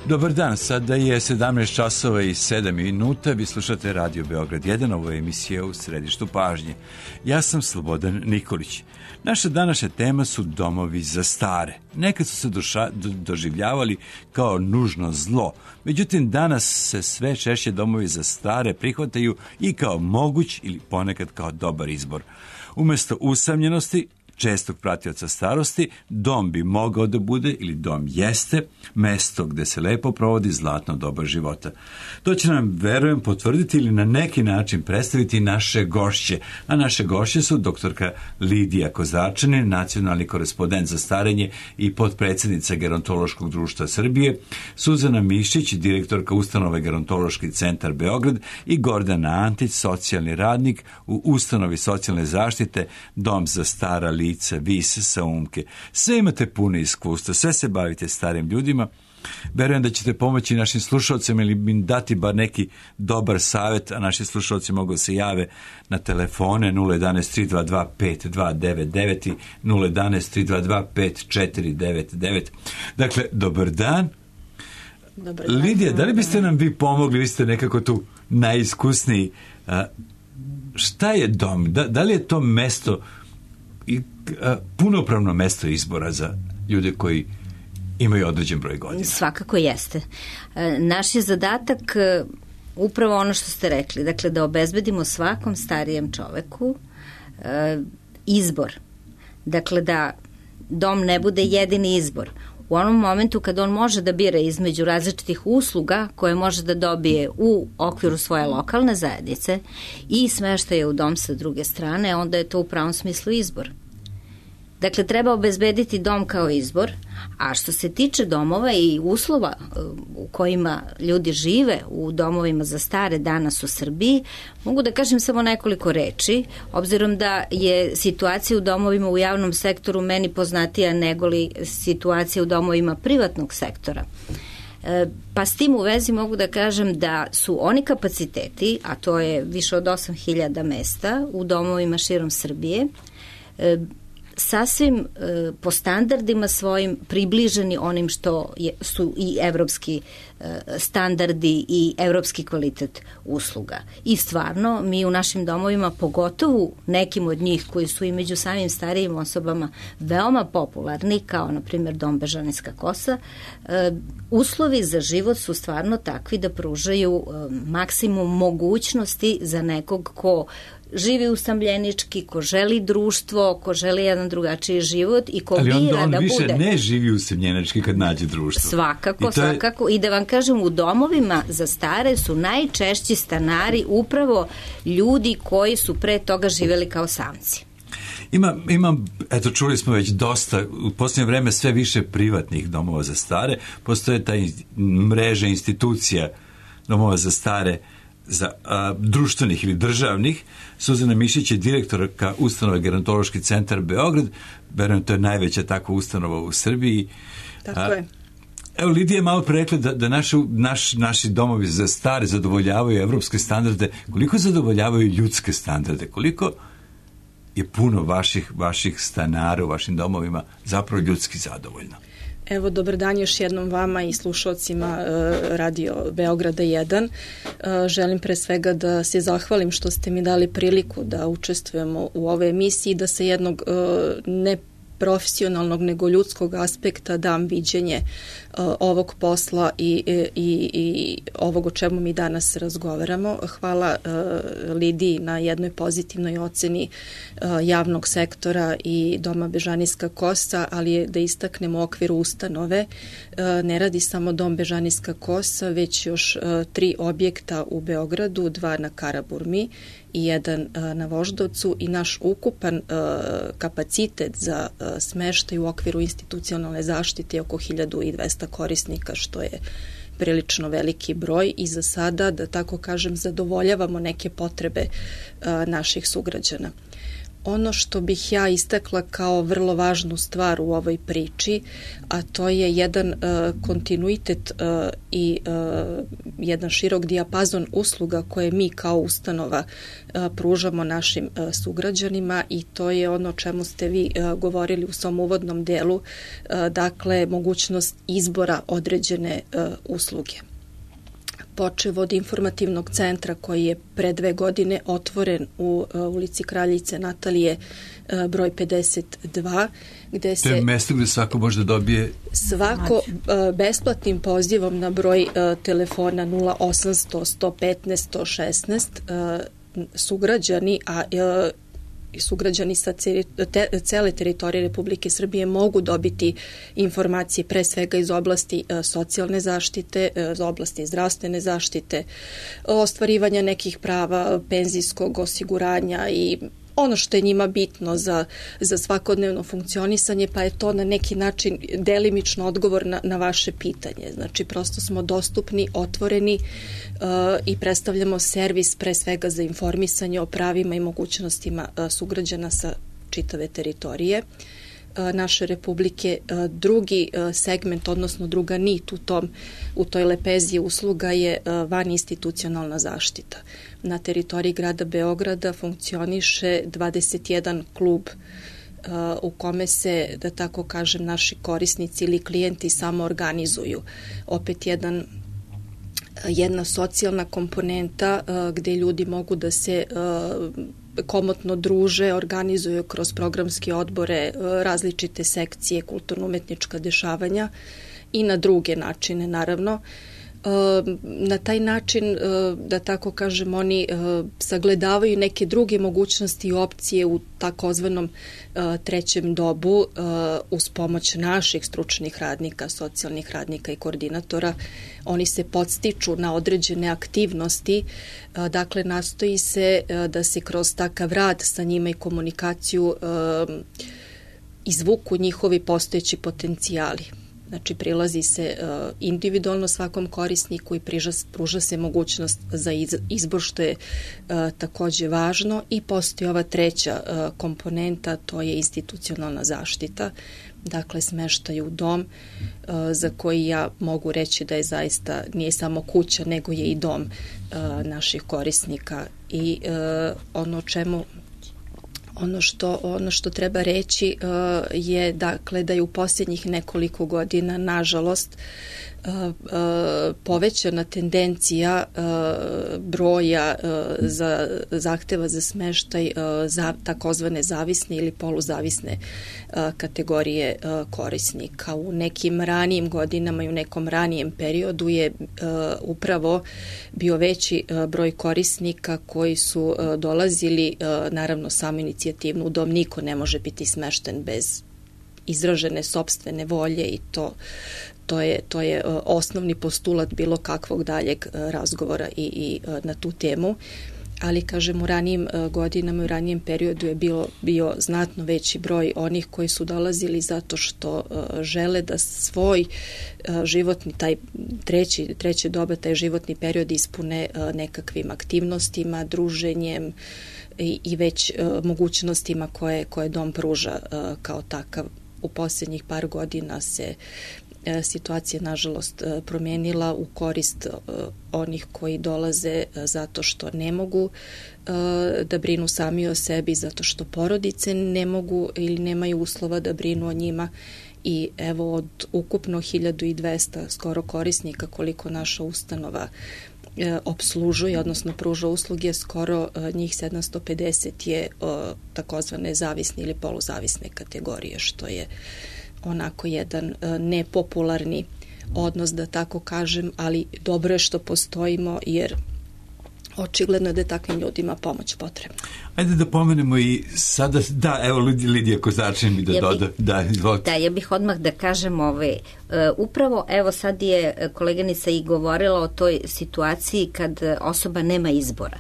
Dobar dan, sada je 17 časova i 7 minuta, vi slušate Radio Beograd 1, ovo je emisija U središtu pažnje. Ja sam Slobodan Nikolić. Naša današnja tema su domovi za stare. Nekad su se doživljavali kao nužno zlo, međutim danas se sve češće domovi za stare prihvataju i kao moguć ili ponekad kao dobar izbor. Umesto usamljenosti, čestog pratioca starosti, dom bi mogao da bude, ili dom jeste, mesto gde se lepo provodi zlatno doba života. To će nam, verujem, potvrditi ili na neki način predstaviti naše gošće. A naše gošće su doktorka Lidija Kozarčanin, nacionalni korespondent za starenje i potpredsjednica Gerontološkog društva Srbije, Suzana Mišić, direktorka ustanove Gerontološki centar Beograd i Gordana Antić, socijalni radnik u ustanovi socijalne zaštite Dom za stara lica Vis sa Umke. Sve imate puno iskustva, sve se bavite starim ljudima. Verujem da ćete pomoći našim slušalcima ili im dati bar neki dobar savjet, a naši slušalci mogu se jave na telefone 011 322 5299 i 011 322 5499. Dakle, dobar dan. Dobar dan. Lidija, da li biste nam vi pomogli, vi ste nekako tu najiskusniji. Šta je dom? Da li je to mesto i punopravno mesto izbora za ljude koji imaju određen broj godina? Svakako jeste. Naš je zadatak upravo ono što ste rekli, dakle da obezbedimo svakom starijem čoveku izbor. Dakle da dom ne bude jedini izbor. U onom momentu kad on može da bira između različitih usluga koje može da dobije u okviru svoje lokalne zajednice i smeštaje u dom sa druge strane, onda je to u pravom smislu izbor. Dakle, treba obezbediti dom kao izbor, a što se tiče domova i uslova u kojima ljudi žive u domovima za stare danas u Srbiji, mogu da kažem samo nekoliko reči, obzirom da je situacija u domovima u javnom sektoru meni poznatija nego li situacija u domovima privatnog sektora. Pa s tim u vezi mogu da kažem da su oni kapaciteti, a to je više od 8.000 mesta u domovima širom Srbije, sasvim po standardima svojim približeni onim što su i evropski standardi i evropski kvalitet usluga. I stvarno, mi u našim domovima, pogotovo nekim od njih koji su i među samim starijim osobama veoma popularni, kao na primjer Dom Bežanijska kosa, uslovi za život su stvarno takvi da pružaju maksimum mogućnosti za nekog ko živi usamljenički, ko želi društvo, ko želi jedan drugačiji život i ko bira da bude... Ali on više ne živi usamljenički kad nađe društvo. Svakako. I da vam kažem, u domovima za stare su najčešći stanari upravo ljudi koji su pre toga živeli kao samci. Ima, eto, čuli smo već dosta, u posljednje vreme sve više privatnih domova za stare, postoje ta mreža institucija domova za stare, za društvenih ili državnih. Suzana Mišić je direktorka ustanove Gerontološki centar Beograd. Verujem, to je najveća takva ustanova u Srbiji. Tako je. Evo, Lidija je malo pre rekla da naši domovi za stare zadovoljavaju evropske standarde. Koliko zadovoljavaju ljudske standarde? Koliko je puno vaših stanara u vašim domovima zapravo ljudski zadovoljno? Evo, dobar dan još jednom vama i slušalcima Radio Beograda 1. Želim pre svega da se zahvalim što ste mi dali priliku da učestvujemo u ovoj emisiji, da se jednog ne profesionalnog nego ljudskog aspekta dam viđenje ovog posla i ovog o čemu mi danas razgovaramo. Hvala Lidiji na jednoj pozitivnoj oceni javnog sektora i Doma Bežanijska kosa, ali je da istaknemo u okviru ustanove. Ne radi samo Dom Bežanijska kosa, već još 3 objekta u Beogradu, 2 na Karaburmi i 1 na Voždovcu, i naš ukupan kapacitet za smeštaj u okviru institucionalne zaštite je oko 1200 korisnika, što je prilično veliki broj i za sada, da tako kažem, zadovoljavamo neke potrebe naših sugrađana. Ono što bih ja istakla kao vrlo važnu stvar u ovoj priči, a to je jedan kontinuitet i jedan širok dijapazon usluga koje mi kao ustanova pružamo našim sugrađanima, i to je ono o čemu ste vi govorili u svom uvodnom delu, dakle mogućnost izbora određene usluge. Počev od informativnog centra koji je pre 2 godine otvoren u ulici Kraljice Natalije broj 52, gde se... To je mesto gde svako može da dobije... Svako besplatnim pozivom na broj telefona 0800 115 116 sugrađani, sugrađani sa cele teritorije Republike Srbije mogu dobiti informacije pre svega iz oblasti socijalne zaštite, iz oblasti zdravstvene zaštite, ostvarivanja nekih prava, penzijskog osiguranja i ono što je njima bitno za svakodnevno funkcionisanje, pa je to na neki način delimično odgovor na vaše pitanje. Znači, prosto smo dostupni, otvoreni i predstavljamo servis pre svega za informisanje o pravima i mogućnostima sugrađana sa čitave teritorije naše Republike. Drugi segment, odnosno druga nit u toj lepezi usluga je vaninstitucionalna zaštita. Na teritoriji grada Beograda funkcioniše 21 klub u kome se, da tako kažem, naši korisnici ili klijenti samo organizuju. Opet jedna socijalna komponenta gde ljudi mogu da se komotno druže, organizuju kroz programske odbore, različite sekcije, kulturno-umetnička dešavanja i na druge načine, naravno. Na taj način, da tako kažem, oni sagledavaju neke druge mogućnosti i opcije u takozvanom trećem dobu uz pomoć naših stručnih radnika, socijalnih radnika i koordinatora. Oni se podstiču na određene aktivnosti, dakle nastoji se da se kroz takav rad sa njima i komunikaciju izvuku njihovi postojeći potencijali. Znači, prilazi se individualno svakom korisniku i pruža se mogućnost za izbor, što je takođe važno, i postoji ova treća komponenta, to je institucionalna zaštita, dakle smeštaj u dom, za koji ja mogu reći da je zaista, nije samo kuća, nego je i dom naših korisnika. I ono što treba reći je, dakle, da je u posljednjih nekoliko godina, nažalost, povećana tendencija broja zahteva za smeštaj za takozvane zavisne ili poluzavisne kategorije korisnika. U nekim ranijim godinama i u nekom ranijem periodu je upravo bio veći broj korisnika koji su dolazili, naravno samoinicijativno, u dom. Niko ne može biti smešten bez izražene sopstvene volje i to je osnovni postulat bilo kakvog daljeg razgovora i na tu temu. Ali, kažem, u ranijim godinama, u ranijem periodu je bio znatno veći broj onih koji su dolazili zato što žele da svoj životni, taj treće doba, taj životni period ispune nekakvim aktivnostima, druženjem i već mogućnostima koje dom pruža kao takav. U posljednjih par godina se situacija, nažalost, promijenila u korist onih koji dolaze zato što ne mogu da brinu sami o sebi, zato što porodice ne mogu ili nemaju uslova da brinu o njima. I evo, od ukupno 1200 skoro korisnika koliko naša ustanova obslužuje, odnosno pruža usluge, skoro njih 750 je takozvane zavisne ili poluzavisne kategorije, što je onako jedan nepopularni odnos, da tako kažem, ali dobro je što postojimo, jer očigledno je da je takvim ljudima pomoć potrebna. Ajde da pomenemo i sada, evo Lidija Kozačin mi da doda. Da, ja bih odmah da kažem upravo, evo sad je koleganica i govorila o toj situaciji kad osoba nema izbora.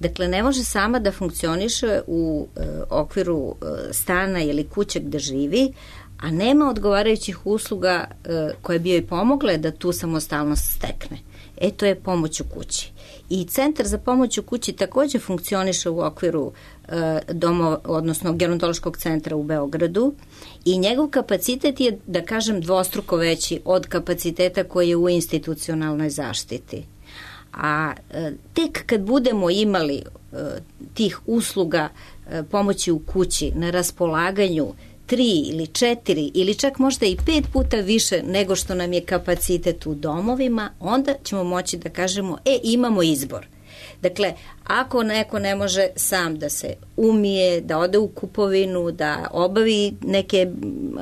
Dakle, ne može sama da funkcioniše u okviru stana ili kuće gde živi, a nema odgovarajućih usluga koje bi joj pomogle da tu samostalnost stekne. To je pomoć u kući. I Centar za pomoć u kući takođe funkcioniše u okviru odnosno gerontološkog centra u Beogradu i njegov kapacitet je, da kažem, dvostruko veći od kapaciteta koji je u institucionalnoj zaštiti. A tek kad budemo imali tih usluga pomoći u kući na raspolaganju 3 ili 4 ili čak možda i 5 puta više nego što nam je kapacitet u domovima, onda ćemo moći da kažemo, imamo izbor. Dakle, ako neko ne može sam da se umije, da ode u kupovinu, da obavi neke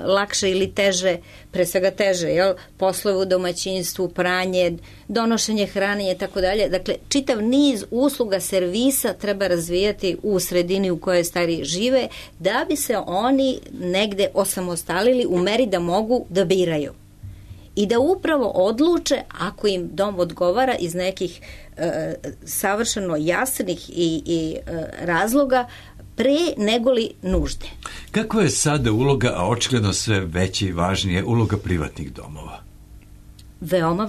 lakše ili teže, pre svega teže, poslove u domaćinstvu, pranje, donošenje hrane i tako dalje. Dakle, čitav niz usluga, servisa treba razvijati u sredini u kojoj stari žive, da bi se oni negde osamostalili u meri da mogu da biraju. I da upravo odluče, ako im dom odgovara iz nekih savršeno jasnih i razloga, pre negoli nužde. Kakva je sada uloga, a očigledno sve veće i važnije, uloga privatnih domova? Veoma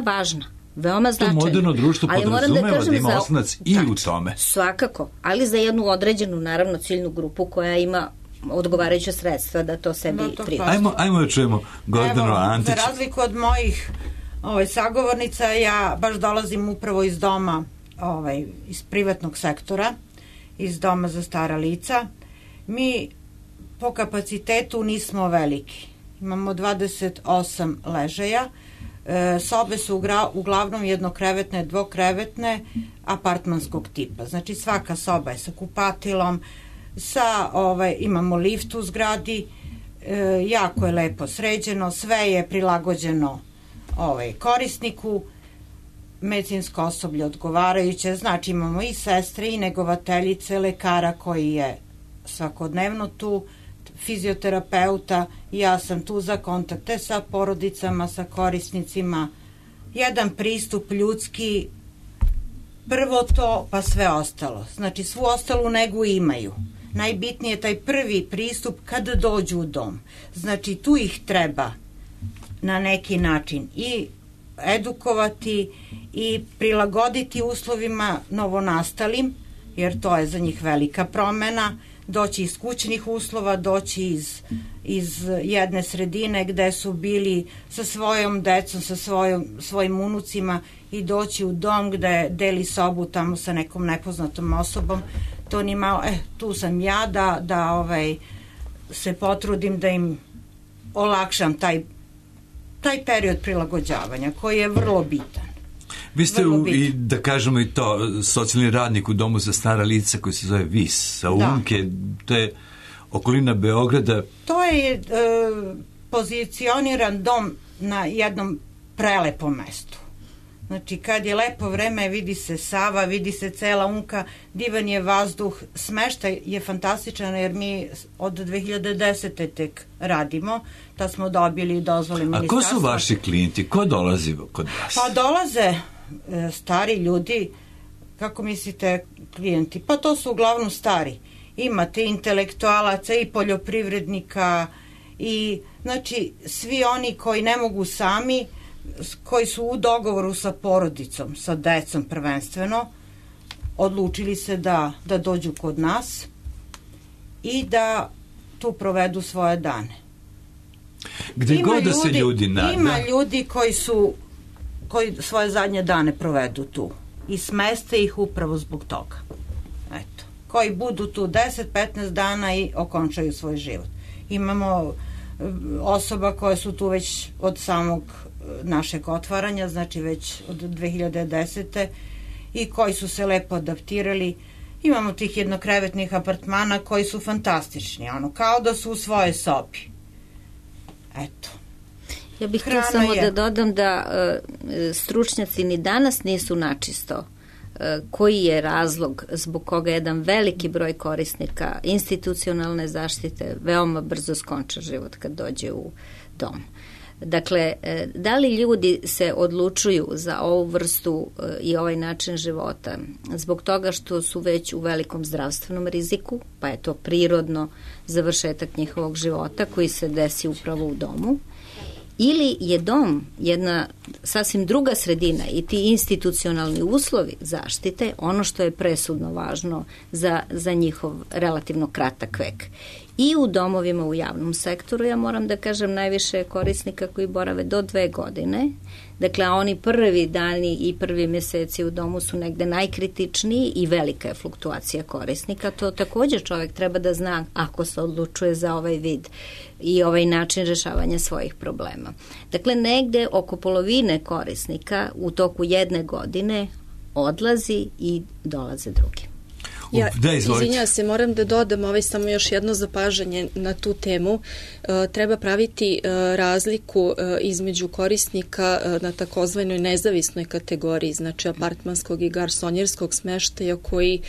važna. Veoma značajno. To moderno društvo podrazumeva da ima osnovac i u tome. Svakako, ali za jednu određenu, naravno, ciljnu grupu koja ima odgovarajuće sredstva da to sebi priušti. Ajmo da čujemo Gordanu Antić. Za razliku od mojih sagovornica, ja baš dolazim upravo iz doma, iz privatnog sektora, iz doma za stara lica. Mi po kapacitetu nismo veliki. Imamo 28 ležaja. Sobe su uglavnom jednokrevetne, dvokrevetne, apartmanskog tipa. Znači svaka soba je sa kupatilom, imamo lift u zgradi, jako je lepo sređeno, sve je prilagođeno korisniku, medicinsko osoblje odgovarajuće, znači imamo i sestre i negovateljice, lekara koji je svakodnevno tu, fizioterapeuta, ja sam tu za kontakte sa porodicama, sa korisnicima, jedan pristup ljudski, prvo to pa sve ostalo, znači svu ostalu negu imaju. Najbitnije je taj prvi pristup kada dođu u dom. Znači tu ih treba na neki način i edukovati i prilagoditi uslovima novonastalim, jer to je za njih velika promena, doći iz kućnih uslova, doći iz jedne sredine gde su bili sa svojom decom, sa svojim unucima i doći u dom gde deli sobu tamo sa nekom nepoznatom osobom. To ni malo, tu sam ja da se potrudim da im olakšam taj period prilagođavanja koji je vrlo bitan. Vi ste i da kažemo i to socijalni radnik u domu za stara lica koji se zove VIS sa Umke, to je okolina Beograda. To je pozicioniran dom na jednom prelepom mestu. Znači kad je lepo vreme vidi se Sava, vidi se cela Umka, divan je vazduh, smeštaj je fantastičan jer mi od 2010. tek radimo, da smo dobili dozvole ministarstva. A ko su vaši klijenti? Ko dolazi kod vas? Pa dolaze stari ljudi, kako mislite klijenti? Pa to su uglavnom stari. Imate intelektualaca i poljoprivrednika i znači svi oni koji ne mogu sami, koji su u dogovoru sa porodicom, sa decom prvenstveno, odlučili se da dođu kod nas i da tu provedu svoje dane. Gde god da se ljudi nada. Ima ljudi koji svoje zadnje dane provedu tu i smeste ih upravo zbog toga. Eto, koji budu tu 10-15 dana i okončaju svoj život. Imamo osoba koje su tu već od samog našeg otvaranja, znači već od 2010. i koji su se lepo adaptirali. Imamo tih jednokrevetnih apartmana koji su fantastični, kao da su u svojoj sobi. Eto. Ja bih htio samo da dodam da stručnjaci ni danas nisu načisto koji je razlog zbog koga jedan veliki broj korisnika institucionalne zaštite veoma brzo skonča život kad dođe u dom. Dakle, da li ljudi se odlučuju za ovu vrstu i ovaj način života zbog toga što su već u velikom zdravstvenom riziku, pa je to prirodno završetak njihovog života koji se desi upravo u domu, ili je dom jedna sasvim druga sredina i ti institucionalni uslovi zaštite ono što je presudno važno za njihov relativno kratak vek. I u domovima u javnom sektoru, ja moram da kažem, najviše korisnika koji borave do 2 godine. Dakle, oni prvi dani i prvi meseci u domu su negde najkritičniji i velika je fluktuacija korisnika. To također čovjek treba da zna ako se odlučuje za ovaj vid i ovaj način rešavanja svojih problema. Dakle, negde oko polovine korisnika u toku 1 godine odlazi i dolaze drugi. Ja, izvinjava se, moram da dodam samo još jedno zapažanje na tu temu. Treba praviti razliku između korisnika na takozvanoj nezavisnoj kategoriji, znači apartmanskog i garsonjerskog smeštaja koji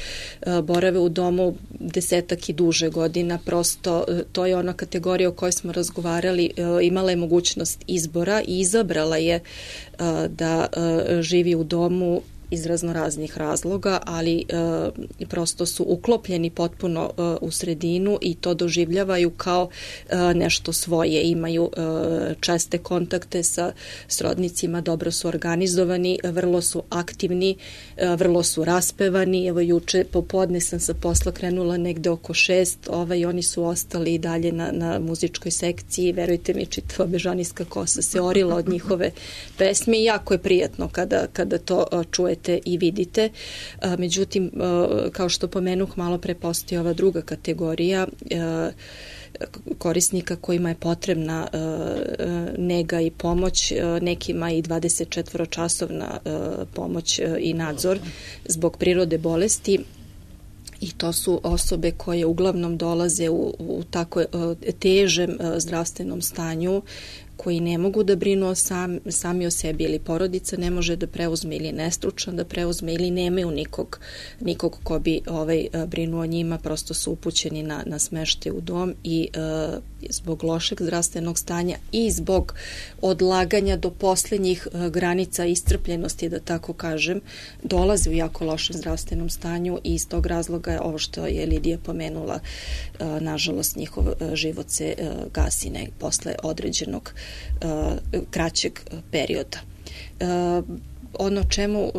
borave u domu 10 i duže godina. Prosto to je ona kategorija o kojoj smo razgovarali, imala je mogućnost izbora i izabrala je da živi u domu iz raznoraznih razloga, ali prosto su uklopljeni potpuno u sredinu i to doživljavaju kao nešto svoje. Imaju česte kontakte sa srodnicima, dobro su organizovani, vrlo su aktivni, vrlo su raspevani. Evo juče popodne sam sa posla krenula negde oko 6, oni su ostali i dalje na muzičkoj sekciji. Verujte mi, čitava bežanijska kosa se orila od njihove pesme i jako je prijatno kada to čujete i vidite. Međutim, kao što pomenuh, malo pre postoji ova druga kategorija korisnika kojima je potrebna nega i pomoć, nekima i 24-časovna pomoć i nadzor zbog prirode bolesti. I to su osobe koje uglavnom dolaze u tako težem zdravstvenom stanju, koji ne mogu da brinu sami o sebi, ili porodica ne može da preuzme, ili nestručan da preuzme, ili nemaju nikog ko bi brinuo o njima, prosto su upućeni na smeštaj u dom i zbog lošeg zdravstvenog stanja i zbog odlaganja do poslednjih granica iscrpljenosti, da tako kažem, dolaze u jako lošem zdravstvenom stanju i iz tog razloga je ovo što je Lidija pomenula, nažalost njihov život se gasi posle određenog kraćeg perioda. Ono čemu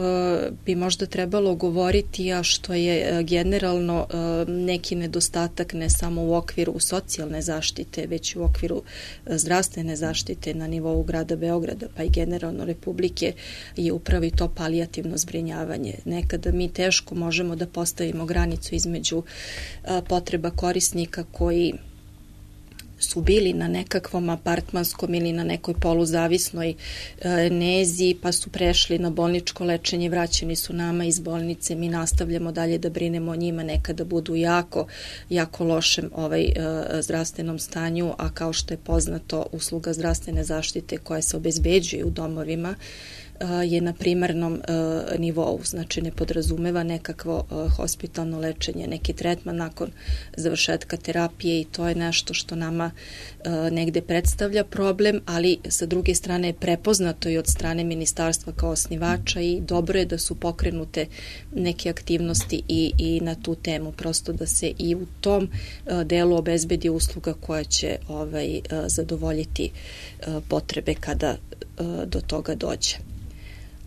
bi možda trebalo govoriti, a što je generalno neki nedostatak ne samo u okviru socijalne zaštite, već i u okviru zdravstvene zaštite na nivou grada Beograda, pa i generalno Republike, je upravo i to palijativno zbrinjavanje. Nekada mi teško možemo da postavimo granicu između potreba korisnika koji su bili na nekakvom apartmanskom ili na nekoj poluzavisnoj nezi, pa su prešli na bolničko lečenje, vraćeni su nama iz bolnice, mi nastavljamo dalje da brinemo o njima, nekada budu jako lošem zdravstvenom stanju, a kao što je poznato, usluga zdravstvene zaštite koja se obezbeđuje u domovima je na primarnom nivou, znači ne podrazumeva nekakvo hospitalno lečenje, neki tretman nakon završetka terapije, i to je nešto što nama negde predstavlja problem, ali sa druge strane je prepoznato i od strane ministarstva kao osnivača i dobro je da su pokrenute neke aktivnosti i na tu temu, prosto da se i u tom delu obezbedi usluga koja će zadovoljiti potrebe kada do toga dođe.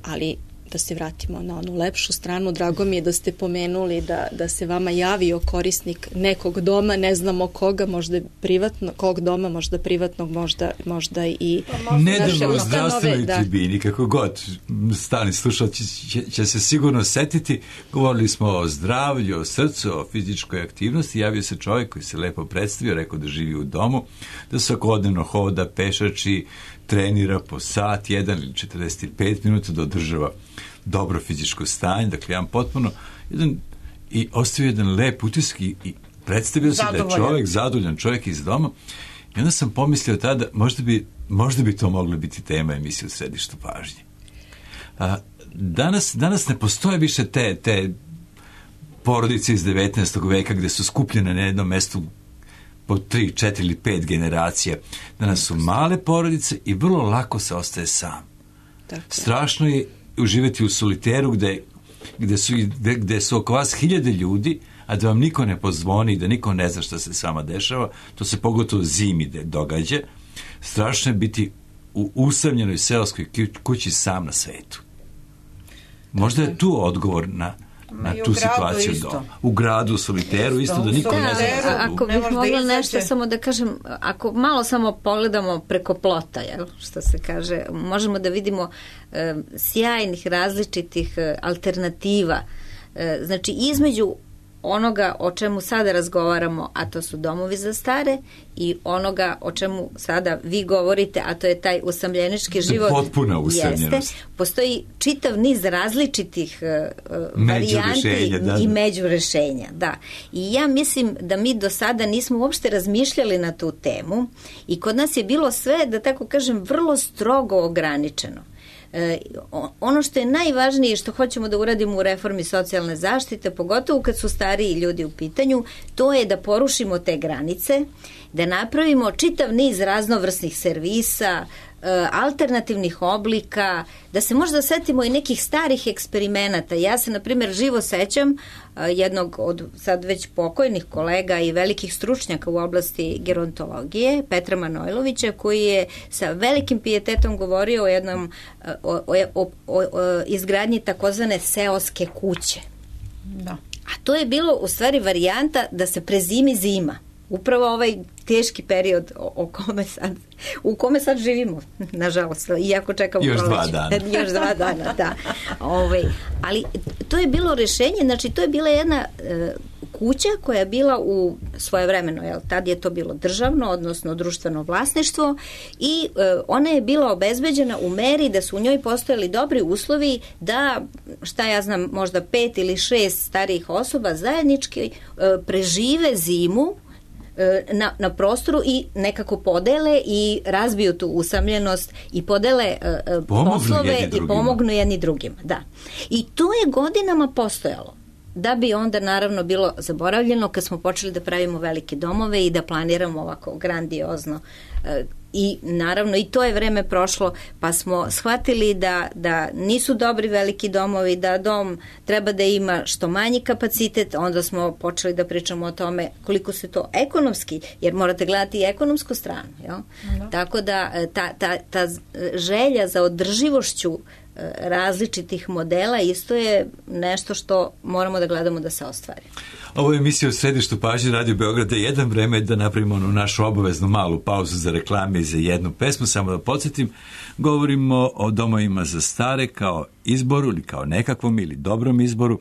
Ali da se vratimo na onu lepšu stranu, drago mi je da ste pomenuli da se vama javio korisnik nekog doma, ne znamo koga, možda privatno, kog doma, možda privatnog, možda i nedavno u zdravstvenoj tribini, kako god stalni slušalci će se sigurno setiti, govorili smo o zdravlju, o srcu, o fizičkoj aktivnosti, javio se čovjek koji se lepo predstavio, rekao da živi u domu, da svakodnevno hoda, pešači, trenira po sat, 1 ili 45 minuta da održava dobro fizičko stanje, dakle jedan potpuno i ostavio jedan lep utisak i predstavio se da je čovjek zadovoljan, čovjek iz doma, i onda sam pomislio tada možda bi to moglo biti tema emisije u središtu pažnje. Danas ne postoje više te porodice iz 19. veka gde su skupljene na jednom mestu po 3, 4 ili 5 generacija. Danas su male porodice i vrlo lako se ostaje sam. Tako. Strašno je uživati u soliteru gde su oko vas 1000 ljudi, a da vam niko ne pozvoni i da niko ne zna šta se s vama dešava. To se pogotovo zimi događa. Strašno je biti u usamljenoj seoskoj kući sam na svetu. Možda je tu odgovor na tu situaciju doma. U gradu, u soliteru, isto da niko ne zna. Ako bih mogla nešto samo da kažem, ako malo samo pogledamo preko plota, što se kaže, možemo da vidimo sjajnih različitih alternativa. Znači, između onoga o čemu sada razgovaramo, a to su domovi za stare, i onoga o čemu sada vi govorite, a to je taj usamljenički život. Potpuna usamljenost. Postoji čitav niz različitih varijanti i međurešenja. Da. I ja mislim da mi do sada nismo uopšte razmišljali na tu temu i kod nas je bilo sve, da tako kažem, vrlo strogo ograničeno. Ono što je najvažnije što hoćemo da uradimo u reformi socijalne zaštite, pogotovo kad su stariji ljudi u pitanju, to je da porušimo te granice, da napravimo čitav niz raznovrsnih servisa, alternativnih oblika, da se možda setimo i nekih starih eksperimenata. Ja se, na primjer, živo sećam jednog od sad već pokojnih kolega i velikih stručnjaka u oblasti gerontologije, Petra Manojlovića, koji je sa velikim pijetetom govorio o jednom o izgradnji takozvane seoske kuće. Da. A to je bilo u stvari varijanta da se prezimi zima. Upravo ovaj teški period u kome sad živimo, nažalost, iako čekamo još 2 dana. Još 2 dana, da. Ali to je bilo rešenje, znači to je bila jedna kuća koja je bila u svojevremeno, tad je to bilo državno, odnosno društveno vlasništvo, i ona je bila obezbeđena u meri da su u njoj postojali dobri uslovi da, šta ja znam, možda 5 ili 6 starijih osoba zajednički prežive zimu na prostoru i nekako podele i razbiju tu usamljenost i podele poslove i pomognu jedni drugima. Da. I to je godinama postojalo. Da bi onda naravno bilo zaboravljeno kad smo počeli da pravimo velike domove i da planiramo ovako grandiozno. I naravno i to je vreme prošlo, pa smo shvatili da nisu dobri veliki domovi, da dom treba da ima što manji kapacitet, onda smo počeli da pričamo o tome koliko se to ekonomski, jer morate gledati i ekonomsku stranu. Jel? Tako da ta želja za održivošću različitih modela isto je nešto što moramo da gledamo da se ostvari. Ovo je emisija u središtu pažnje Radio Beograda 1. Vreme je da napravimo onu našu obaveznu malu pauzu za reklame i za jednu pesmu. Samo da podsjetim, govorimo o domovima za stare kao izboru ili kao nekakvom ili dobrom izboru,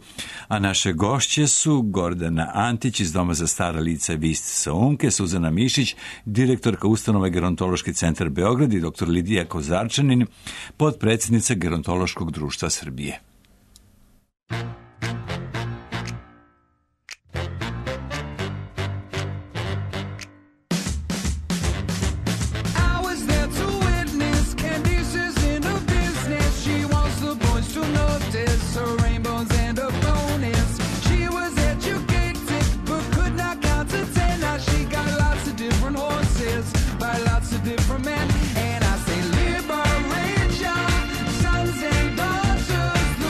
a naše gošće su Gordana Antić iz Doma za stara lica Vist Saunke, Suzana Mišić, direktorka ustanove Gerontološki centar Beograd, i dr. Lidija Kozarčanin, potpredsjednica Gerontološkog društva Srbije. Different men, and I say liberation, sons and daughters.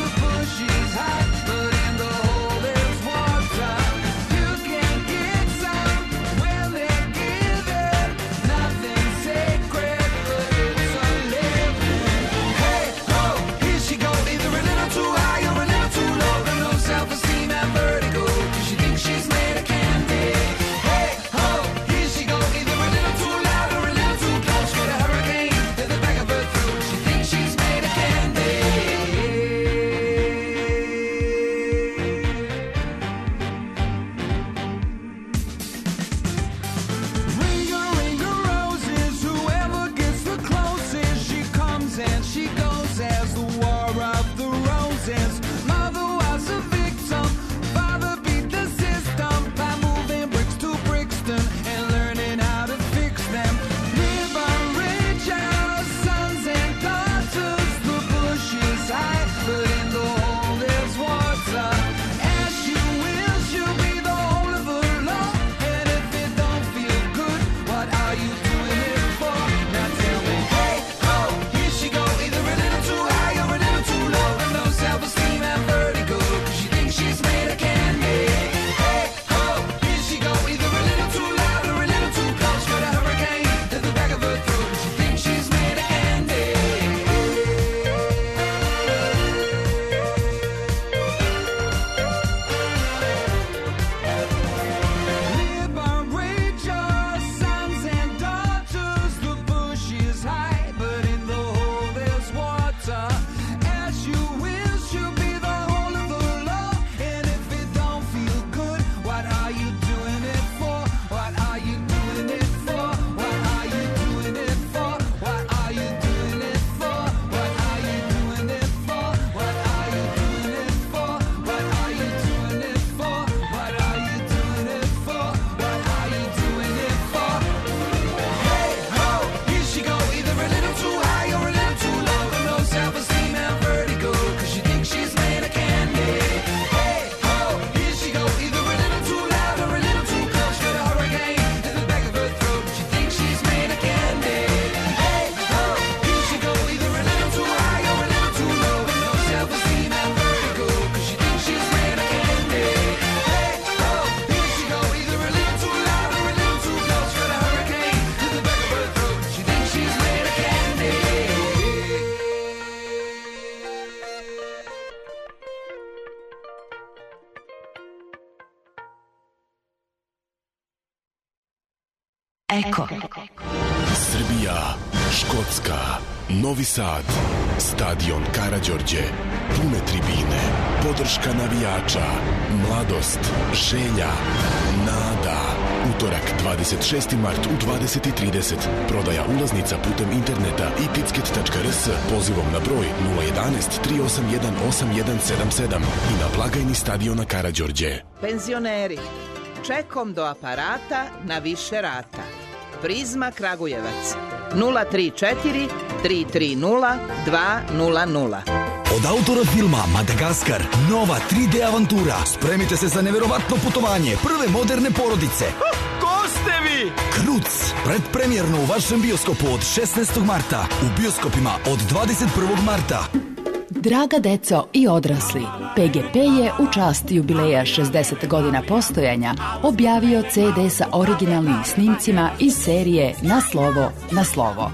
Eko. Srbija, Škotska, Novi Sad, stadion Karađorđe, pune tribine, podrška navijača, mladost, želja, nada. Utorak, 26. mart u 20:30. Prodaja ulaznica putem interneta i ticket.rs pozivom na broj 011 381 8177 i na blagajni stadiona Karađorđe. Penzioneri, čekom do aparata na više rata. Prizma Kragujevac 034 330 200. Od autora filma Madagaskar, nova 3D avantura. Spremite se za neverovatno putovanje prve moderne porodice. Ko ste vi? Kruc, predpremjerno u vašem bioskopu od 16. marta, u bioskopima od 21. marta. Draga deco i odrasli, PGP je u čast jubileja 60 godina postojanja objavio CD sa originalnim snimcima iz serije Na slovo, na slovo.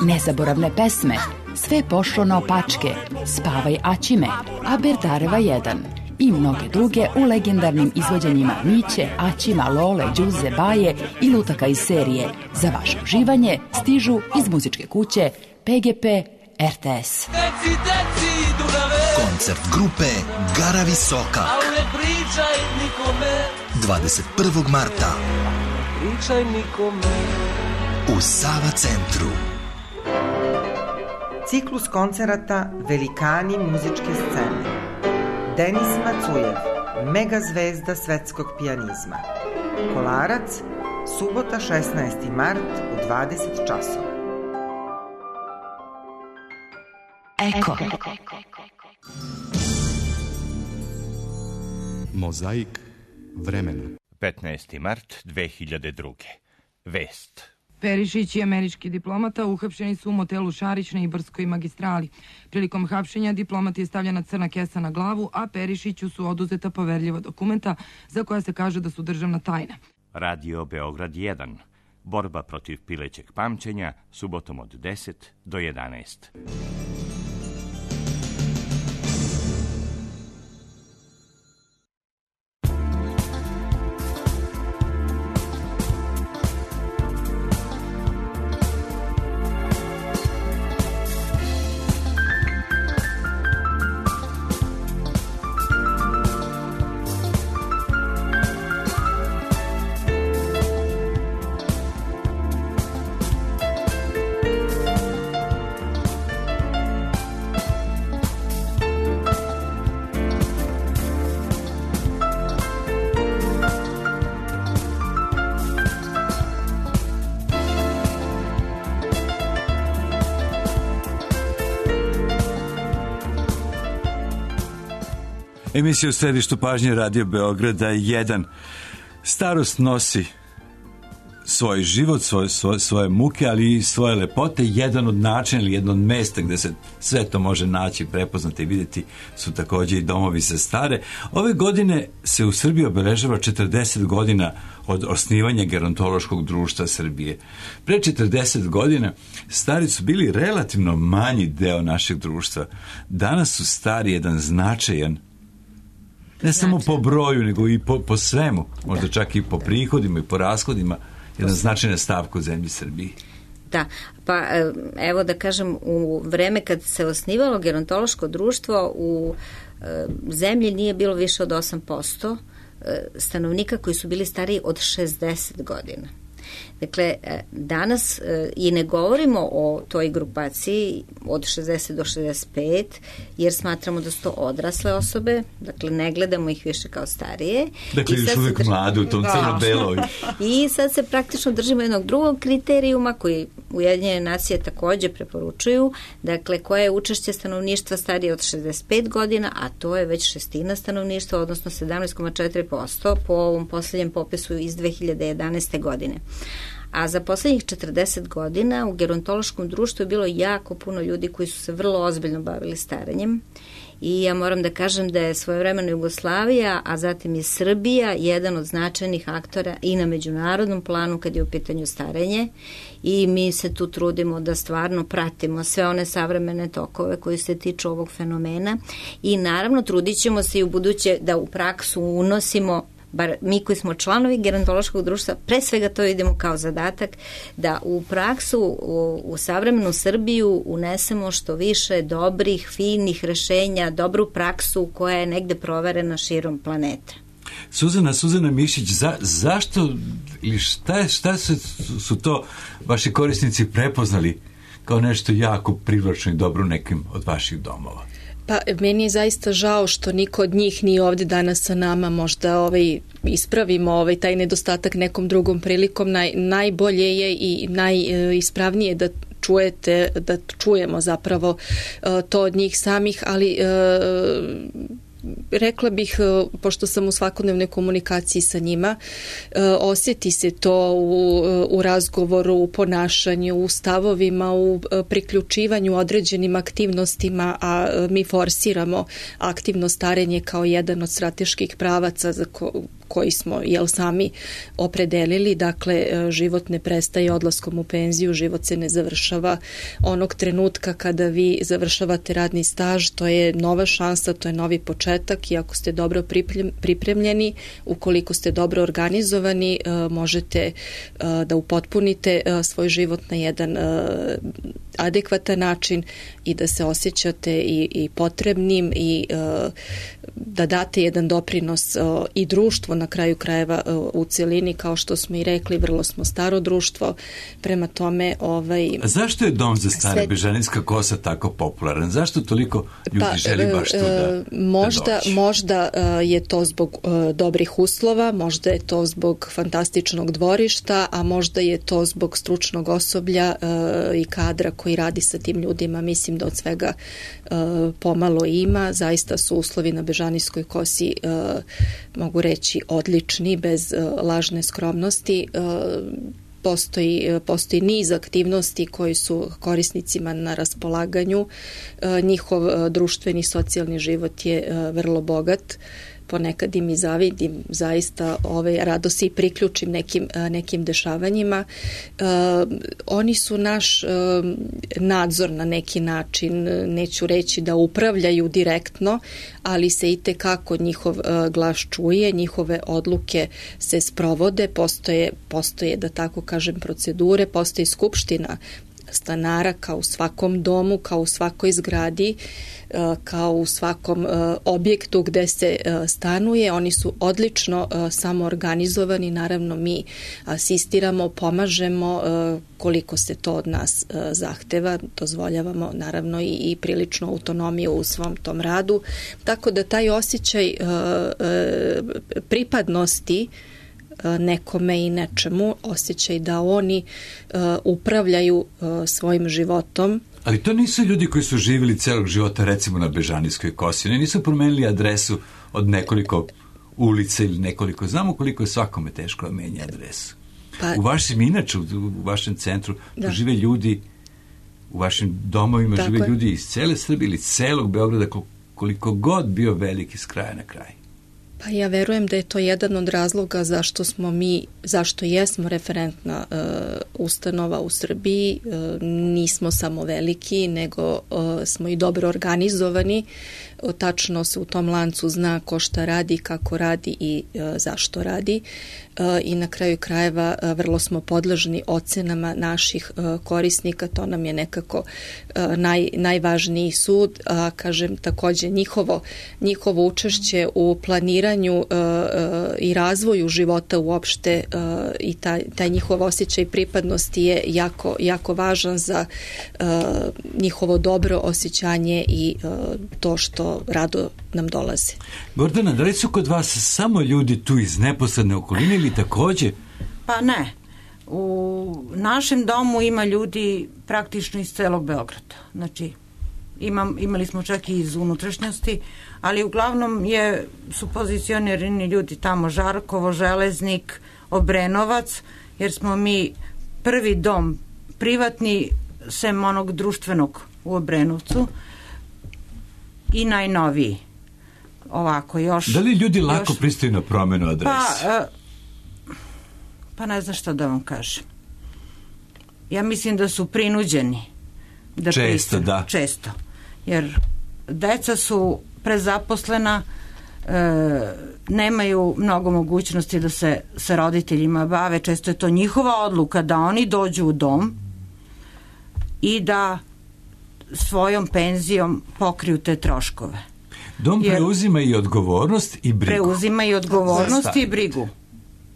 Nezaboravne pesme, Sve pošlo naopačke, Spavaj Aćime, A Berdareva 1 i mnoge druge u legendarnim izvođenjima Miće, Aćima, Lole, Đuze, Baje i lutaka iz serije. Za vaše uživanje stižu iz muzičke kuće PGP RTS. Koncert grupe Gara Visoka 21. marta u Sava centru. Ciklus koncerata Velikani muzičke scene. Denis Macujev, mega zvezda svetskog pijanizma. Kolarac, subota 16. mart u 20 časova. Eko. Mozaik vremena. 15. mart 2002. Vest. Perišić i američki diplomata uhapšeni su u motelu Šarić na Ibarskoj magistrali. Prilikom hapšenja diplomati je stavljena crna kesa na glavu, a Perišiću su oduzeta poverljiva dokumenta za koja se kaže da su državna tajna. Radio Beograd 1. Borba protiv pilećeg pamćenja, subotom od 10 do 11. Emisija u središtu pažnje Radio Beograda 1. Starost nosi svoj život, svoje muke, ali i svoje lepote. Jedan od načina ili jedno od mesta gde se sve to može naći, prepoznati i vidjeti su također i domovi za stare. Ove godine se u Srbiji obeležava 40 godina od osnivanja Gerontološkog društva Srbije. Pre 40 godina stari su bili relativno manji deo našeg društva. Danas su stari jedan značajan, ne samo po broju, nego i po svemu, možda čak i po prihodima i po rashodima, jedan značajna stavka u zemlji Srbiji. Da, pa evo da kažem, u vreme kad se osnivalo Gerontološko društvo, u zemlji nije bilo više od 8% stanovnika koji su bili stariji od 60 godina. Dakle, danas i ne govorimo o toj grupaciji od 60 do 65, jer smatramo da su to odrasle osobe, dakle ne gledamo ih više kao starije. Dakle, još uvijek mladi u tom crno-beloj. I sad se praktično držimo jednog drugog kriterijuma koji Ujedinjene nacije također preporučuju, dakle koje je učešće stanovništva starije od 65 godina, a to je već šestina stanovništva, odnosno 17,4% po ovom posljednjem popisu iz 2011. godine. A za posljednjih 40 godina u gerontološkom društvu je bilo jako puno ljudi koji su se vrlo ozbiljno bavili starenjem. I ja moram da kažem da je svojevremeno Jugoslavija, a zatim i Srbija, jedan od značajnih aktora i na međunarodnom planu kad je u pitanju starenje. I mi se tu trudimo da stvarno pratimo sve one savremene tokove koji se tiču ovog fenomena. I naravno trudit ćemo se i u buduće da u praksu unosimo bar mi koji smo članovi gerontološkog društva, pre svega to idemo kao zadatak, da u praksu, u savremenu Srbiju unesemo što više dobrih, finih rešenja, dobru praksu koja je negde proverena širom planeta. Suzana Mišić, zašto ili šta su to vaši korisnici prepoznali kao nešto jako privlačno i dobro u nekim od vaših domova? Pa meni je zaista žao što niko od njih nije ovde danas sa nama, možda ispravimo taj nedostatak nekom drugom prilikom. Najbolje je i najispravnije da čujemo zapravo to od njih samih, ali rekla bih, pošto sam u svakodnevnoj komunikaciji sa njima, osjeti se to u razgovoru, u ponašanju, u stavovima, u priključivanju određenim aktivnostima, a mi forsiramo aktivno starenje kao jedan od strateških pravaca za koji smo sami opredelili. Dakle, život ne prestaje odlaskom u penziju, život se ne završava onog trenutka kada vi završavate radni staž. To je nova šansa, to je novi početak i ako ste dobro pripremljeni, ukoliko ste dobro organizovani, možete da upotpunite svoj život na jedan adekvatan način i da se osjećate i potrebnim i da date jedan doprinos i društvu na kraju krajeva u celini, kao što smo i rekli, vrlo smo staro društvo, prema tome A zašto je dom za stare Bežanijska kosa tako popularan? Zašto toliko ljudi želi baš tu da možda je to zbog dobrih uslova, možda je to zbog fantastičnog dvorišta, a možda je to zbog stručnog osoblja i kadra koji radi sa tim ljudima. Mislim da od svega pomalo ima. Zaista su uslovi na Bežanijskoj kosi, mogu reći, odlični, bez lažne skromnosti. Postoji niz aktivnosti koji su korisnicima na raspolaganju. Njihov društveni, socijalni život je vrlo bogat. Ponekad im i zavidim, zaista rado se i priključim nekim dešavanjima. Oni su naš nadzor na neki način, neću reći da upravljaju direktno, ali se i tekako njihov glas čuje, njihove odluke se sprovode, postoje da tako kažem procedure, postoji skupština stanara kao u svakom domu, kao u svakoj zgradi, kao u svakom objektu gde se stanuje. Oni su odlično samoorganizovani, naravno mi asistiramo, pomažemo koliko se to od nas zahteva, dozvoljavamo naravno i prilično autonomiju u svom tom radu, tako da taj osjećaj pripadnosti nekome i nečemu, osjećaj da oni upravljaju svojim životom. Ali to nisu ljudi koji su živjeli celog života recimo na Bežanijskoj kosi. Oni nisu promenili adresu od nekoliko ulica ili nekoliko. Znamo koliko je svakome teško da menja adresu. U vašem inače, u vašem centru žive ljudi, u vašim domovima žive ljudi iz cele Srbije ili celog Beograda, koliko god bio veliki s kraja na kraj. Pa ja verujem da je to jedan od razloga zašto jesmo referentna ustanova u Srbiji. Nismo samo veliki, nego smo i dobro organizovani. Tačno se u tom lancu zna ko šta radi, kako radi i zašto radi. I na kraju krajeva vrlo smo podložni ocenama naših korisnika, to nam je nekako najvažniji sud, a kažem takođe njihovo učešće u planiranju i razvoju života uopšte i taj njihov osjećaj pripadnosti je jako važan za njihovo dobro osjećanje i to što rado nam dolaze. Gordana, da li su kod vas samo ljudi tu iz neposredne okoline ili takođe? Pa ne. U našem domu ima ljudi praktično iz celog Beograda. Znači, imali smo čak i iz unutrašnjosti, ali uglavnom su pozicionirani ljudi tamo Žarkovo, Železnik, Obrenovac, jer smo mi prvi dom privatni sem onog društvenog u Obrenovcu i najnoviji. Ovako još. Da li ljudi lako pristaju na promenu adrese? Pa ne znam šta da vam kažem. Ja mislim da su prinuđeni da pristaju. Da. Često. Jer deca su prezaposlena, nemaju mnogo mogućnosti da se sa roditeljima bave. Često je to njihova odluka da oni dođu u dom i da svojom penzijom pokriju te troškove. Dom preuzima i odgovornost i brigu. Preuzima i odgovornost i brigu.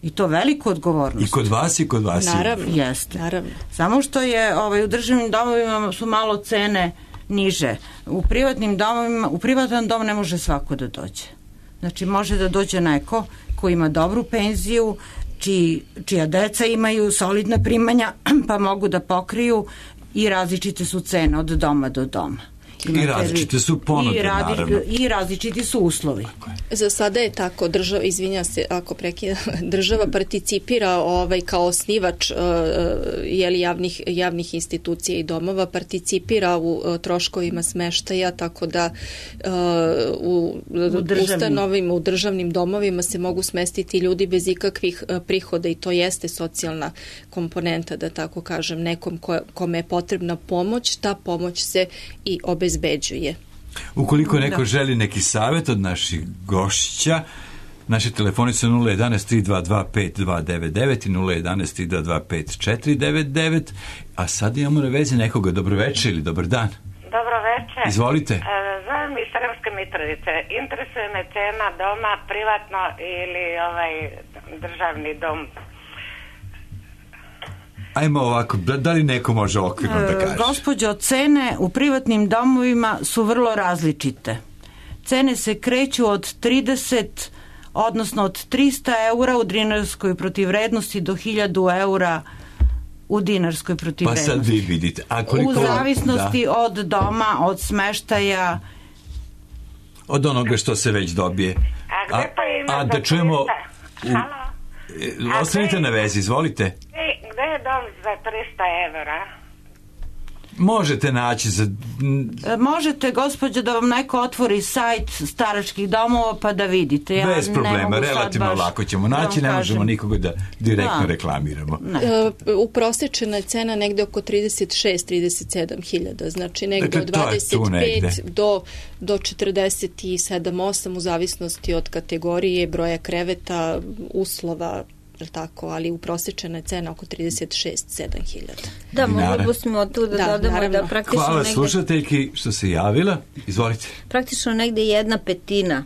I to veliku odgovornost. I kod vas i kod vas. Naravno. Jeste. Naravno. Samo što je u državnim domovima su malo cene niže. U privatnim domovima, u privatan dom ne može svako da dođe. Znači može da dođe neko ko ima dobru penziju, čija deca imaju solidna primanja, pa mogu da pokriju, i različite su cene od doma do doma. I različite su ponude, naravno. I različiti su uslovi. Za sada je tako, izvinja se ako prekidam, država participira kao osnivač javnih institucija i domova, participira u troškovima smeštaja, tako da u državnim domovima se mogu smestiti ljudi bez ikakvih prihoda i to jeste socijalna komponenta, da tako kažem, nekom kome je potrebna pomoć, ta pomoć se i obezbeđuje. Ukoliko neko želi neki savjet od naših gošća, naše telefoni su 011-322-5299 i 011-322-5499, a sad imamo na vezi nekoga. Dobro večer ili dobar dan. Dobro večer. Izvolite. Zovem iz Sremske Mitrovice. Interesuje me cena doma, privatno ili državni dom. Ajmo ovako, da li neko može okvirno da kaže? Gospođo, cene u privatnim domovima su vrlo različite. Cene se kreću od 30, odnosno od 300 eura u dinarskoj protivvrednosti do 1000 eura u dinarskoj protivvrednosti. Pa sad vi vidite. U zavisnosti od doma, od smeštaja. Od onoga što se već dobije. A da čujemo... Ostanite na vezi, izvolite. Gde je dom za 300 evra? Možete naći za... Možete, gospođo, da vam neko otvori sajt staračkih domova pa da vidite. Bez problema, relativno lako ćemo naći, ne možemo nikoga da direktno reklamiramo. Uprosečena je cena negde oko 36-37 hiljada, znači negde od 25 do 47-8 u zavisnosti od kategorije, broja kreveta, uslova, tako, ali uprosečena je cena oko 36-7 hiljada. Da, mogli bismo tu da dodamo da praktično Hvala slušateljki što se javila. Izvolite. Praktično negde 1/5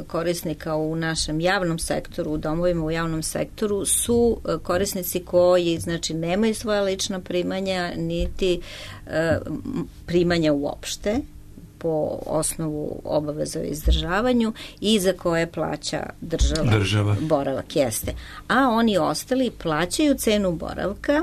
korisnika u našem javnom sektoru, u domovima u javnom sektoru su korisnici koji znači nemaju svoja lična primanja niti primanja uopšte po osnovu obaveza o izdržavanju i za koje plaća država. Boravak jeste. A oni ostali plaćaju cenu boravka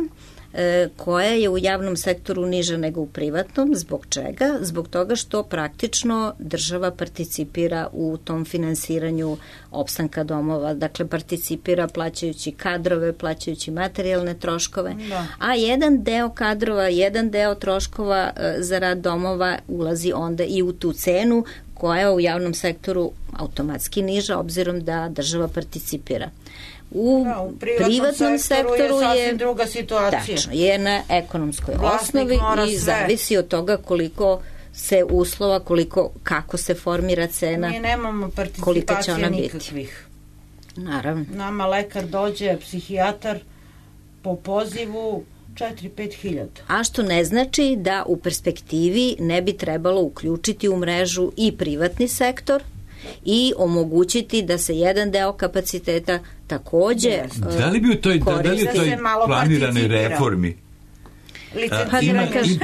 koja je u javnom sektoru niža nego u privatnom. Zbog čega? Zbog toga što praktično država participira u tom finansiranju opstanka domova. Dakle, participira plaćajući kadrove, plaćajući materijalne troškove. Da. A jedan deo kadrova, jedan deo troškova za rad domova ulazi onda i u tu cenu koja je u javnom sektoru automatski niža obzirom da država participira. U privatnom sektoru je sasvim druga situacija. Tačno, je na ekonomskoj osnovi i zavisi od toga koliko se uslova, kako se formira cena, mi nemamo participacije nikakvih. Naravno. Nama lekar dođe, psihijatar po pozivu 4-5 hiljada. A što ne znači da u perspektivi ne bi trebalo uključiti u mrežu i privatni sektor i omogućiti da se jedan deo kapaciteta takođe da li bi u toj planiranoj reformi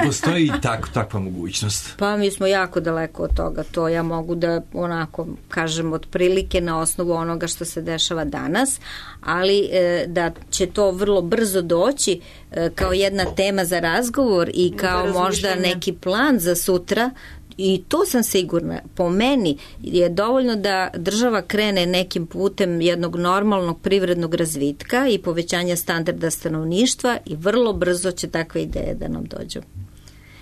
postoji i takva mogućnost? Pa mi smo jako daleko od toga. To ja mogu da onako kažem otprilike na osnovu onoga što se dešava danas, ali da će to vrlo brzo doći kao jedna tema za razgovor i kao možda neki plan za sutra. I to sam sigurna. Po meni je dovoljno da država krene nekim putem jednog normalnog privrednog razvitka i povećanja standarda stanovništva i vrlo brzo će takve ideje da nam dođu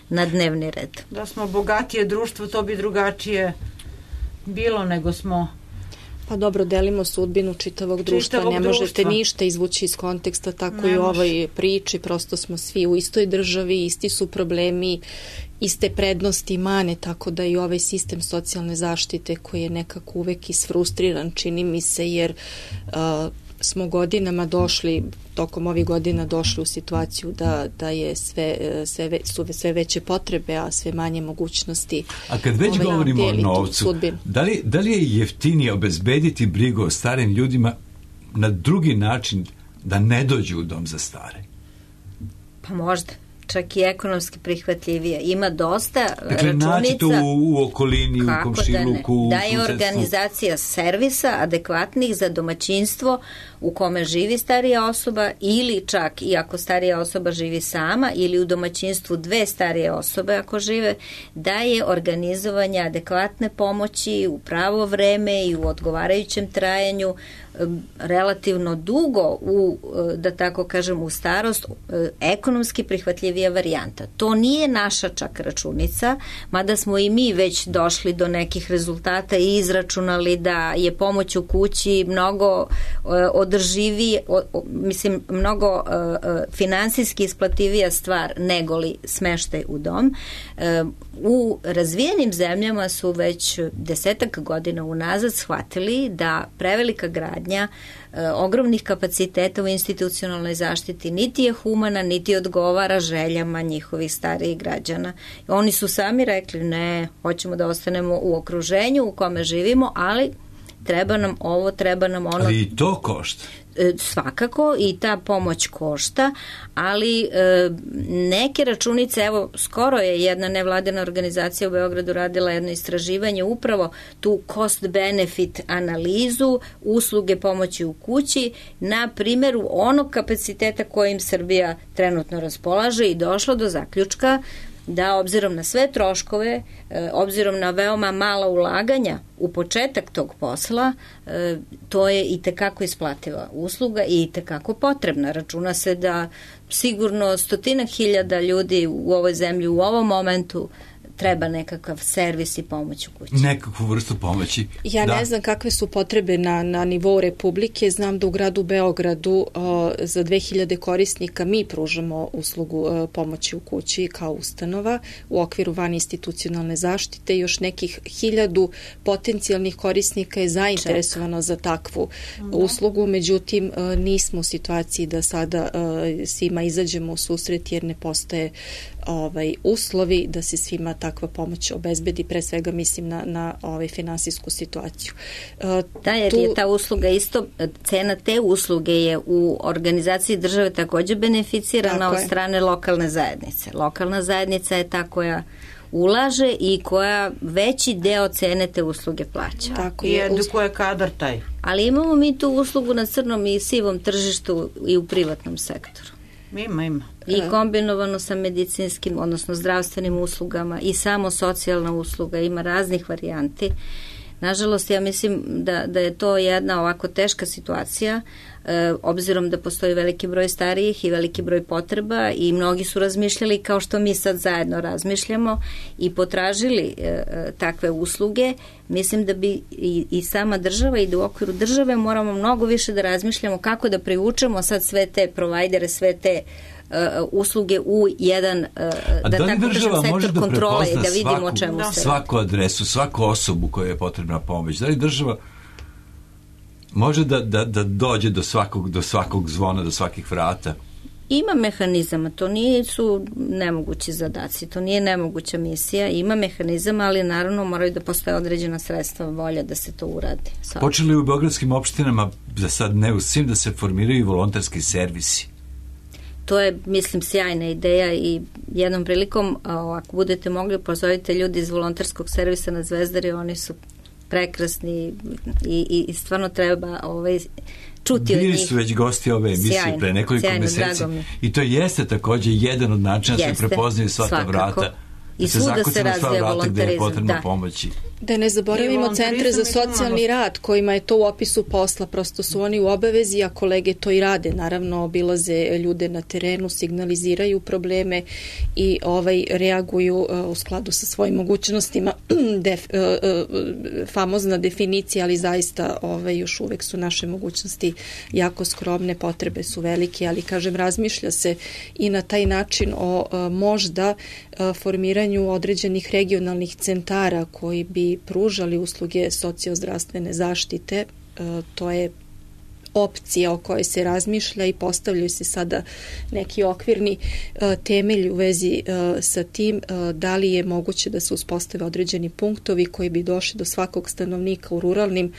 na dnevni red. Da smo bogatije društvo, to bi drugačije bilo nego smo Pa dobro, delimo sudbinu čitavog društva, ne možete ništa izvući iz konteksta, tako i u ovoj priči, prosto smo svi u istoj državi, isti su problemi, iste prednosti i mane, tako da i ovaj sistem socijalne zaštite koji je nekako uvek isfrustriran, čini mi se, jer smo godinama došli, tokom ovih godina došli u situaciju da je sve veće potrebe, a sve manje mogućnosti. A kad već govorimo o novcu, da li je jeftinije obezbediti brigu o starim ljudima na drugi način da ne dođu u dom za stare? Pa možda. Čak i ekonomski prihvatljivije. Ima dosta dakle, računica. Naći to u okolini, u komšiluku, da je organizacija servisa adekvatnih za domaćinstvo u kome živi starija osoba ili čak i ako starija osoba živi sama ili u domaćinstvu dve starije osobe ako žive, da je organizovanje adekvatne pomoći u pravo vreme i u odgovarajućem trajanju relativno dugo da tako kažem u starost ekonomski prihvatljivija varijanta. To nije naša čak računica, mada smo i mi već došli do nekih rezultata i izračunali da je pomoć u kući mnogo održivije, mislim mnogo finansijski isplativija stvar negoli smeštaj u dom. U razvijenim zemljama su već 10 godina unazad shvatili da prevelika gradnja ogromnih kapaciteta u institucionalnoj zaštiti niti je humana, niti odgovara željama njihovih starijih građana. Oni su sami rekli ne, hoćemo da ostanemo u okruženju u kome živimo, ali treba nam ovo, treba nam ono. Ali i to košta. Svakako i ta pomoć košta, ali neke računice, evo skoro je jedna nevladina organizacija u Beogradu radila jedno istraživanje, upravo tu cost benefit analizu usluge pomoći u kući na primjeru onog kapaciteta kojim Srbija trenutno raspolaže i došla do zaključka da obzirom na sve troškove, obzirom na veoma mala ulaganja u početak tog posla, to je i tekako isplativa usluga i i tekako potrebna. Računa se da sigurno 100.000 ljudi u ovoj zemlji u ovom momentu treba nekakav servis i pomoć u kući. Nekakvu vrstu pomoći. Ja ne znam kakve su potrebe na nivou Republike. Znam da u gradu Beogradu za 2000 korisnika mi pružamo uslugu pomoći u kući kao ustanova u okviru vaninstitucionalne zaštite. Još nekih 1000 potencijalnih korisnika je zainteresovano za takvu uslugu. Međutim, nismo u situaciji da sada svima izađemo u susret jer ne postoje uslovi da se svima takva pomoć obezbedi, pre svega mislim na finansijsku situaciju. Da, jer je ta usluga isto, cena te usluge je u organizaciji države takođe beneficirana od strane lokalne zajednice. Lokalna zajednica je ta koja ulaže i koja veći deo cene te usluge plaća. Tako je, edukuje kadar taj. Ali imamo mi tu uslugu na crnom i sivom tržištu i u privatnom sektoru. Ima. I kombinovano sa medicinskim, odnosno zdravstvenim uslugama i samo socijalna usluga, ima raznih varijanti. Nažalost, ja mislim da je to jedna ovako teška situacija, obzirom da postoji veliki broj starijih i veliki broj potreba i mnogi su razmišljali kao što mi sad zajedno razmišljamo i potražili takve usluge. Mislim da bi i sama država i da u okviru države moramo mnogo više da razmišljamo kako da privučemo sad sve te provajdere, sve te usluge u jedan da tako kažem sektor kontrole i da vidimo o čemu se svaku adresu, svaku osobu kojoj je potrebna pomoć. Da li država može da dođe do svakog zvona, do svakih vrata? Ima mehanizama, to nisu nemogući zadaci, to nije nemoguća misija, ima mehanizama, ali naravno moraju da postoje određena sredstva, volja da se to uradi. Počeli u beogradskim opštinama, za sad ne u svim, da se formiraju volonterski servisi. To je, mislim, sjajna ideja i jednom prilikom, ako budete mogli, pozovite ljudi iz volonterskog servisa na Zvezdari, oni su prekrasni i stvarno treba čuti od njih. Bili su već gosti ove emisije pre nekoliko meseci i to jeste takođe jedan od načina da se prepoznaju sva ta vrata. I svuda se razvija volontarizam. Gde je potrebno pomoći. Da ne zaboravimo centre za socijalni rad kojima je to u opisu posla, prosto su oni u obavezi, a kolege to i rade, naravno obilaze ljude na terenu, signaliziraju probleme i reaguju u skladu sa svojim mogućnostima. Famozna definicija, ali zaista još uvek su naše mogućnosti jako skromne, potrebe su velike, ali kažem, razmišlja se i na taj način o možda formiranju određenih regionalnih centara koji bi pružali usluge sociozdravstvene zaštite. To je opcija o kojoj se razmišlja i postavljaju se sada neki okvirni temelji u vezi sa tim da li je moguće da se uspostave određeni punktovi koji bi došli do svakog stanovnika u ruralnim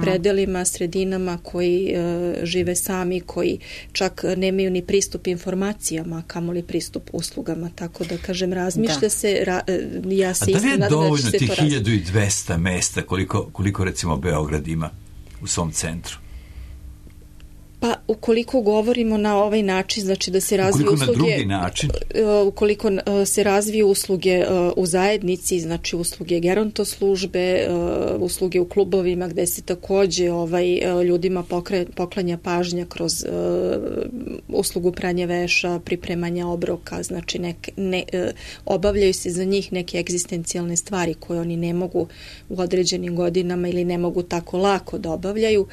predelima, sredinama, koji žive sami, koji čak nemaju ni pristup informacijama, kamoli pristup uslugama. Tako da, kažem, razmišlja se, ja se istina nadam da će se to razmišljati. A da li je dovoljno tih 1200 mesta koliko recimo Beograd ima u svom centru? Pa ukoliko govorimo na ovaj način, znači da se razviju usluge, na drugi način, ukoliko se razviju usluge u zajednici, znači usluge gerontoslužbe, usluge u klubovima gde se takođe ljudima poklanja pažnja kroz uslugu pranja veša, pripremanja obroka, znači obavljaju se za njih neke egzistencijalne stvari koje oni ne mogu u određenim godinama ili ne mogu tako lako da obavljaju.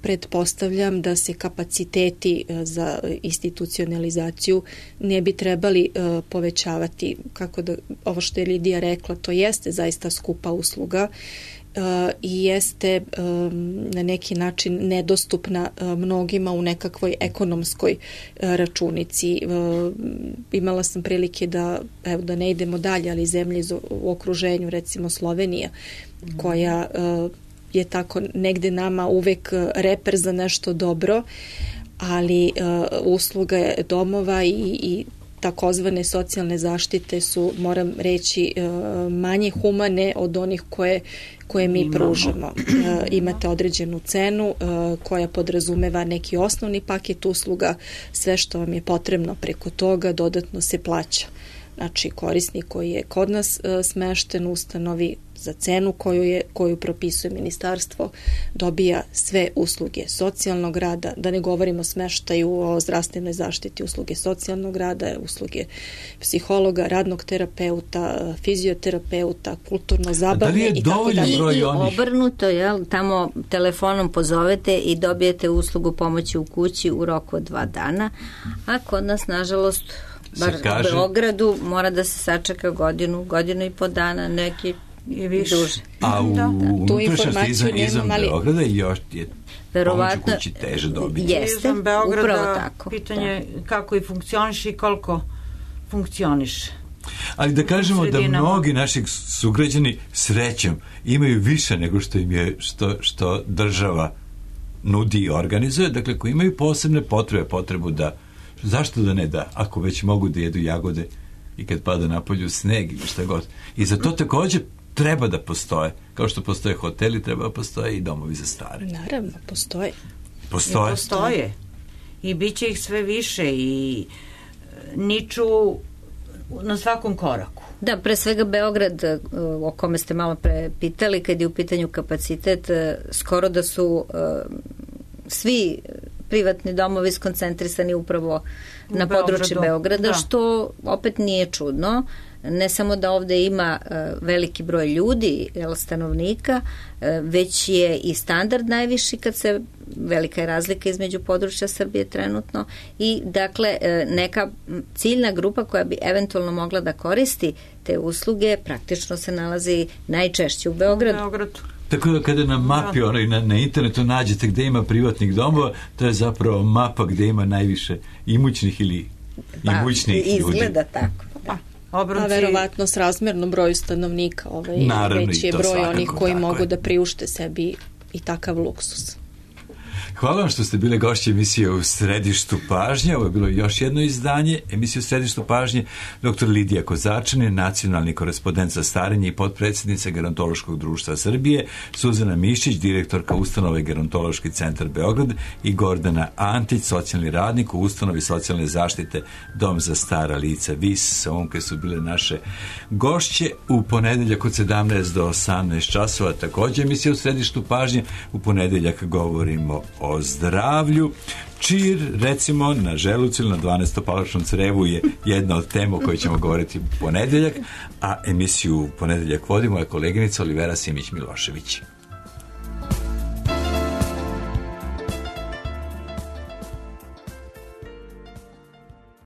Pretpostavljam da se kapaciteti za institucionalizaciju ne bi trebali povećavati, kako da, ovo što je Lidija rekla, to jeste zaista skupa usluga i jeste na neki način nedostupna mnogima u nekakvoj ekonomskoj računici. Imala sam prilike da ne idemo dalje, ali zemlje u okruženju, recimo Slovenija, koja je tako negde nama uvek reper za nešto dobro, ali usluga domova i takozvane socijalne zaštite su, moram reći, manje humane od onih koje mi pružamo. Imate određenu cenu koja podrazumeva neki osnovni paket usluga, sve što vam je potrebno preko toga dodatno se plaća. Znači, korisnik koji je kod nas smešten u ustanovi za cenu koju propisuje ministarstvo dobija sve usluge socijalnog rada, da ne govorimo o smeštaju, o zdravstvenoj zaštiti, usluge socijalnog rada, usluge psihologa, radnog terapeuta, fizioterapeuta, kulturno-zabavne i tako dalje. I obrnuto, tamo telefonom pozovete i dobijete uslugu pomoći u kući u roku od 2 dana, a kod nas, nažalost, bar u Beogradu mora da se sačeka godinu i po dana, neki i više. Duže. A u unutrašnjosti izvan Beograda još je pomoć u kući teže dobiti. Jeste, upravo tako. Pitanje kako i funkcioniš i koliko funkcioniš. Ali da kažemo da mnogi naših sugrađani srećom imaju više nego što im je što država nudi i organizuje, dakle koji imaju posebne potrebu da, zašto da ne da, ako već mogu da jedu jagode i kad pada napolju sneg ili šta god. I za to takođe treba da postoje. Kao što postoje hoteli, treba da postoje i domovi za stare. Naravno, postoje. Postoje. I bit će ih sve više i niču na svakom koraku. Da, pre svega Beograd, o kome ste malo pre pitali, kad je u pitanju kapacitet, skoro da su svi privatni domovi skoncentrisani upravo na području Beograda, što opet nije čudno. Ne samo da ovde ima veliki broj ljudi, stanovnika, već je i standard najviši kad se, velika je razlika između područja Srbije trenutno i dakle neka ciljna grupa koja bi eventualno mogla da koristi te usluge praktično se nalazi najčešće u Beogradu. Tako da kada na mapi na internetu nađete gde ima privatnih domova, to je zapravo mapa gde ima najviše imućnih ili imućnih ljudi. Izgleda tako. A verovatno s razmerno broju stanovnika naravno, već je broj onih koji mogu da priušte sebi i takav luksus. Hvala vam što ste bile gošće emisije U središtu pažnje. Ovo je bilo još jedno izdanje emisije U središtu pažnje. Dr. Lidija Kozačanin, nacionalni korespondent za starenje i potpredsjednica Gerontološkog društva Srbije, Suzana Mišić, direktorka ustanove Gerontološki centar Beograd i Gordana Antić, socijalni radnik u ustanovi socijalne zaštite Dom za stara lica VIS. Sonke su bile naše gošće. U ponedeljak od 17 do 18 časova također emisija U središtu pažnje. U ponedeljak govorimo o zdravlju. Čir, recimo, na želucu ili na 12-palačnom crevu je jedna od tema o kojoj ćemo govoriti u ponedeljak, a emisiju u ponedeljak vodi moja koleginica Olivera Simić-Milošević.